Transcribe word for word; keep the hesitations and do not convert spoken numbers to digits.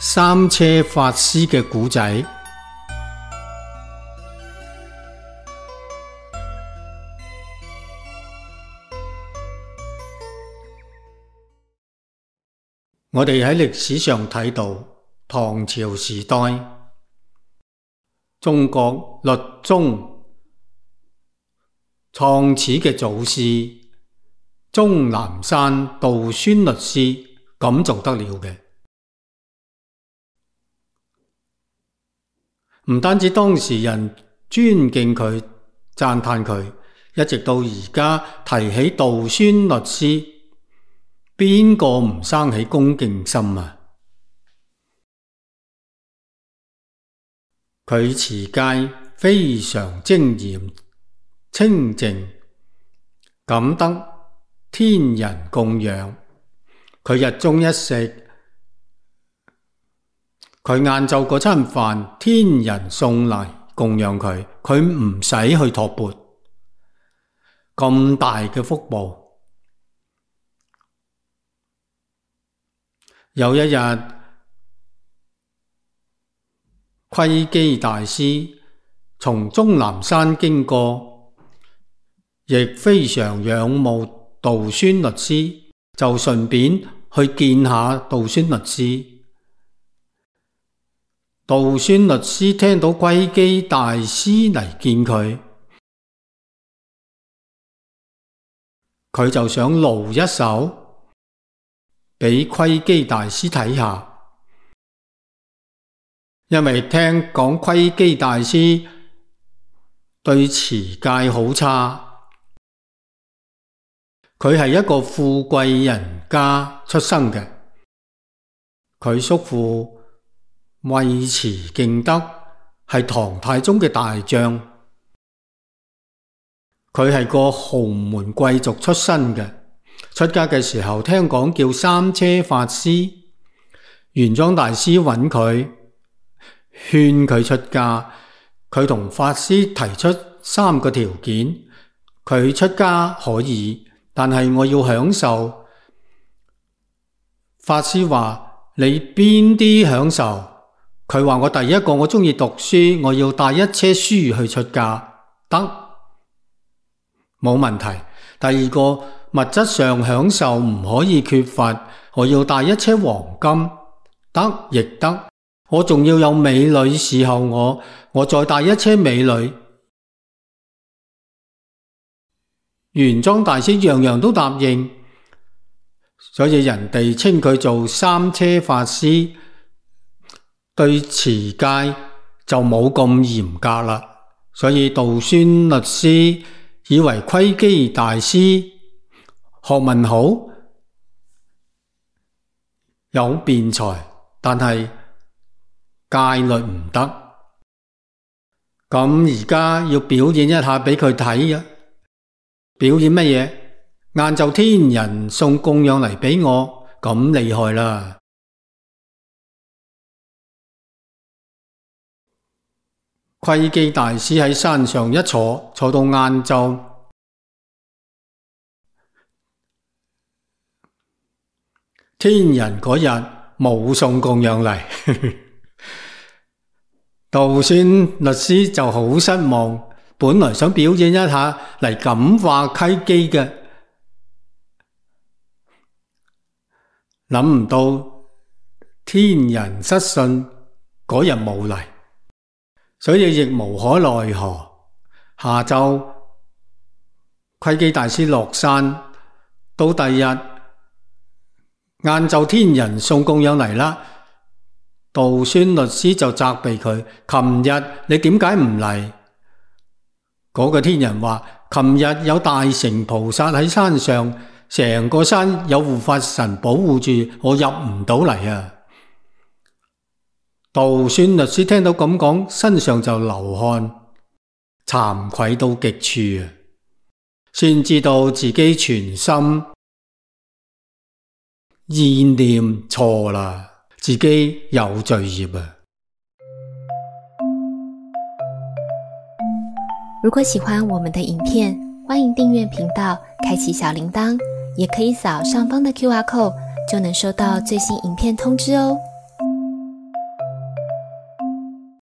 三車法師嘅故仔。我哋喺歷史上睇到，唐朝時代，中國律宗創始嘅祖師終南山道宣律師咁做得了嘅。唔單止當時人尊敬佢、讚嘆佢，一直到而家提起道宣律師，邊個唔生起恭敬心啊？佢持戒非常精嚴清淨，感得天人供養。佢日中一食，佢晏晝嗰餐飯，天人送嚟供養佢，佢唔使去托缽。咁大嘅福報。有一日，窺基大師從終南山經過，亦非常仰慕道宣律師，就順便去見下道宣律師。道宣律師聽到窺基大師嚟見佢，佢就想露一手俾窺基大師睇下，因為聽講窺基大師對持戒好差，佢係一個富貴人家出生嘅，佢叔父尉遲敬德係唐太宗嘅大將，佢係個豪門貴族出身嘅。出家嘅時候聽講叫三車法師，玄奘大師揾佢勸佢出家，佢同法師提出三個條件，佢出家可以，但係我要享受。法師話：你邊啲享受？佢話：我第一個我鍾意讀書，我要帶一車書去出家，得，冇問題。第二個物質上享受唔可以缺乏，我要帶一車黃金，得亦得。我仲要有美女伺候我，我再帶一車美女。玄奘大師樣樣都答應，所以人哋稱佢做三車法師。對持戒就冇咁嚴格啦，所以道宣律師以為窺基大師學問好，有辯才，但係戒律唔得。咁而家要表演一下俾佢睇啊！表演乜嘢？晏晝天人送供養嚟俾我，咁厲害啦！窺基大師喺山上一坐，坐到晏晝，天人嗰日冇送供養嚟，道宣律師就好失望，本來想表演一下嚟感化窺基嘅，諗唔到天人失信，嗰日冇嚟。所以亦無可奈何。下晝窺基大師落山，到第二日晏晝天人送供養嚟啦，道宣律師就責備佢：琴日你點解唔嚟？嗰個天人話：琴日有大乘菩薩喺山上，成個山有護法神保護住，我入唔到嚟啊！道宣律師聽到咁講，身上就流汗，慚愧到極處啊！先知道自己全心意念錯啦，自己有罪業啊！如果喜歡我們的影片，歡迎訂閱頻道，開啟小鈴鐺，也可以掃上方的 Q R code，就能收到最新影片通知哦。